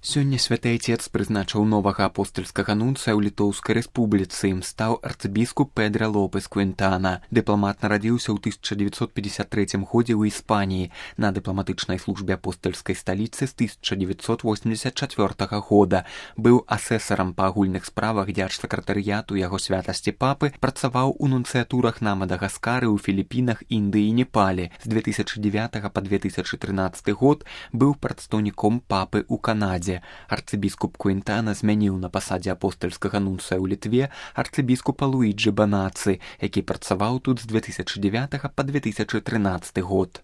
Сёння святы айцец прызначыў новага апостальскага нунцыя ў Літоўскай рэспубліцы. Ім стаў арцыбіскуп Педро Лопес Квінтана. Дыпламат нарадзіўся ў 1953 годзе ў Іспаніі на дыпламатычнай службе апостальскай сталіцы з 1984 года. Быў асэсарам па агульных справах дзяржсакратарыяту яго святасці папы, працаваў у нунцыятурах на Мадагаскары, у Філіпінах, Індыі і Непале. З 2009 па 2013 год быў прадстаўніком папы ў Канадзе. Арцыбіскуп Квінтана змяніў на пасадзе апостальскага нунцыя ў Літве арцыбіскупа Луіджы Банацы, які працаваў тут з 2009 па 2013 год.